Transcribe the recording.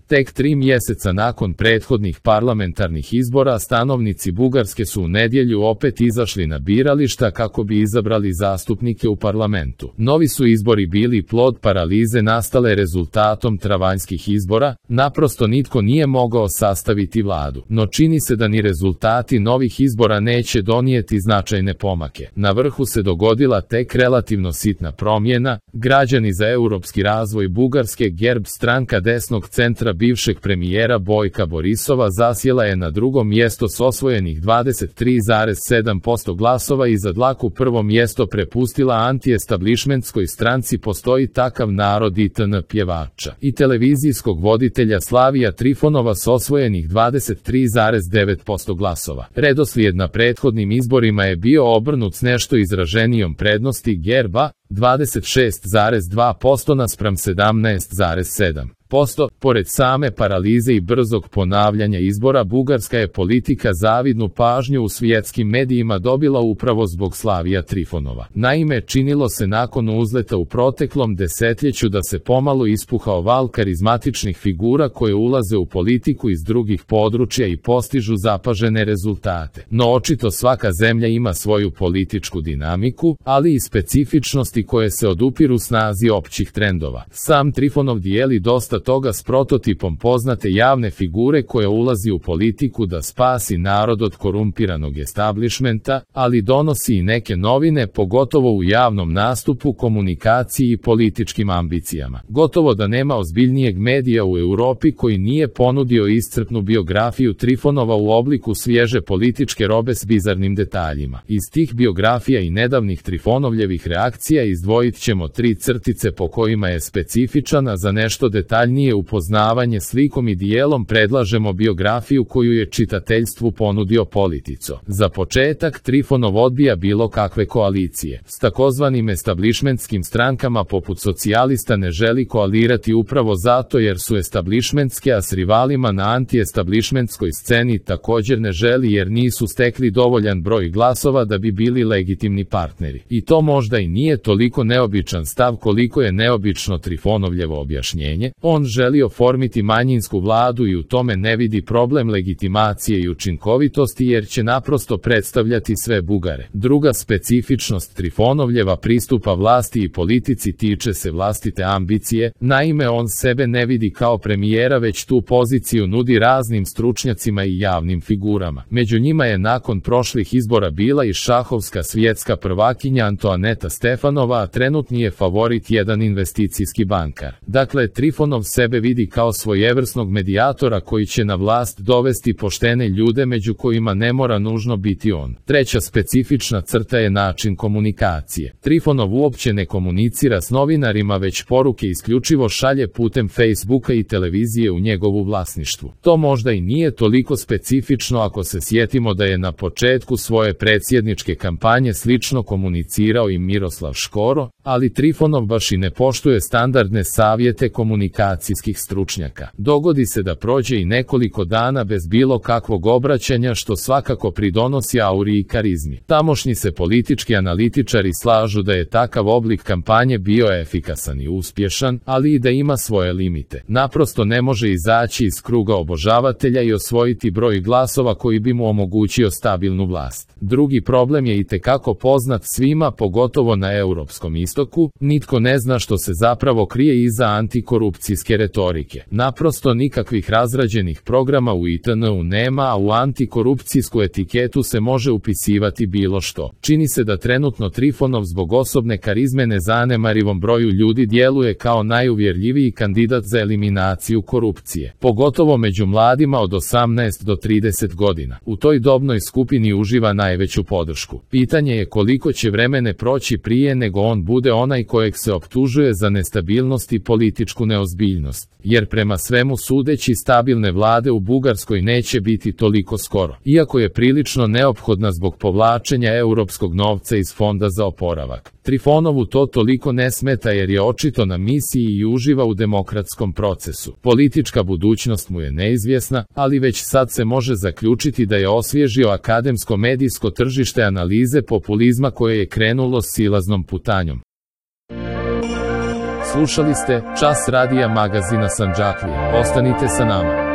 Tek 3 mjeseca nakon prethodnih parlamentarnih izbora stanovnici Bugarske su u nedjelju opet izašli na birališta kako bi izabrali zastupnike u parlamentu. Novi su izbori bili plod paralize nastale rezultatom travanjskih izbora, naprosto nitko nije mogao sastaviti vladu. No čini se da ni rezultati novih izbora neće donijeti značajne pomake. Na vrhu se dogodila tek relativno sitna promjena. Građani za europski razvoj Bugarske GERB, stranka desnog centra bivšeg premijera Bojka Borisova, zasjela je na drugo mjesto s osvojenih 23,7% glasova i za dlaku prvo mjesto prepustila anti-establishmentskoj stranci Postoji takav narod ITN pjevača i televizijskog voditelja Slavija Trifonova s osvojenih 23,9% glasova. Redoslijed na prethodnim izborima je bio obrnut s nešto izraženijom prednosti GERB-a, 26,2% naspram 17,7%. Pored same paralize i brzog ponavljanja izbora, bugarska je politika zavidnu pažnju u svjetskim medijima dobila upravo zbog Slavija Trifonova. Naime, činilo se nakon uzleta u proteklom desetljeću da se pomalo ispuhao val karizmatičnih figura koje ulaze u politiku iz drugih područja i postižu zapažene rezultate. No očito svaka zemlja ima svoju političku dinamiku, ali i specifičnosti koje se odupiru snazi općih trendova. Sam Trifonov dijeli dosta toga s prototipom poznate javne figure koja ulazi u politiku da spasi narod od korumpiranog establishmenta, ali donosi i neke novine, pogotovo u javnom nastupu, komunikaciji i političkim ambicijama. Gotovo da nema ozbiljnijeg medija u Europi koji nije ponudio iscrpnu biografiju Trifonova u obliku svježe političke robe s bizarnim detaljima. Iz tih biografija i nedavnih Trifonovljevih reakcija izdvojit ćemo 3 crtice po kojima je specifičan, a za nešto detaljnije upoznavanje s likom i dijelom predlažemo biografiju koju je čitateljstvu ponudio Politico. Za početak, Trifonov odbija bilo kakve koalicije. S takozvanim establishmentskim strankama poput socijalista ne želi koalirati upravo zato jer su establishmentske, a s rivalima na anti-establishmentskoj sceni također ne želi jer nisu stekli dovoljan broj glasova da bi bili legitimni partneri. I to možda i nije toliko neobičan stav koliko je neobično Trifonovljevo objašnjenje. On želi oformiti manjinsku vladu i u tome ne vidi problem legitimacije i učinkovitosti jer će naprosto predstavljati sve Bugare. Druga specifičnost Trifonovljeva pristupa vlasti i politici tiče se vlastite ambicije. Naime, on sebe ne vidi kao premijera, već tu poziciju nudi raznim stručnjacima i javnim figurama. Među njima je nakon prošlih izbora bila i šahovska svjetska prvakinja Antoaneta Stefanova, a trenutni je favorit jedan investicijski bankar. Dakle, Trifonov sebe vidi kao svojevrsnog medijatora koji će na vlast dovesti poštene ljude među kojima ne mora nužno biti on. Treća specifična crta je način komunikacije. Trifonov uopće ne komunicira s novinarima, već poruke isključivo šalje putem Facebooka i televizije u njegovu vlasništvu. To možda i nije toliko specifično ako se sjetimo da je na početku svoje predsjedničke kampanje slično komunicirao i Miroslav Škoro, ali Trifonov baš i ne poštuje standardne savjete komunikacijskih stručnjaka. Dogodi se da prođe i nekoliko dana bez bilo kakvog obraćanja, što svakako pridonosi auri i karizmi. Tamošnji se politički analitičari slažu da je takav oblik kampanje bio efikasan i uspješan, ali i da ima svoje limite. Naprosto ne može izaći iz kruga obožavatelja i osvojiti broj glasova koji bi mu omogućio stabilnu vlast. Drugi problem je itekako poznat svima, pogotovo na europskom istoku. Nitko ne zna što se zapravo krije iza antikorupcijske retorike. Naprosto nikakvih razrađenih programa u ITN-u nema, a u antikorupcijsku etiketu se može upisivati bilo što. Čini se da trenutno Trifonov zbog osobne karizme nezanemarivom broju ljudi djeluje kao najuvjerljiviji kandidat za eliminaciju korupcije, pogotovo među mladima od 18 do 30 godina. U toj dobnoj skupini uživa najveću podršku. Pitanje je koliko će vremena proći prije nego on bude onaj kojeg se optužuje za nestabilnost i političku neozbiljnost, jer prema svemu sudeći stabilne vlade u Bugarskoj neće biti toliko skoro, iako je prilično neophodna zbog povlačenja europskog novca iz Fonda za oporavak. Trifonovu to toliko ne smeta jer je očito na misiji i uživa u demokratskom procesu. Politička budućnost mu je neizvjesna, ali već sad se može zaključiti da je osvježio akademsko medijsko tržište analize populizma koje je krenulo silaznom putanjom. Slušali ste Čas radija magazina Sandžaklija. Ostanite sa nama.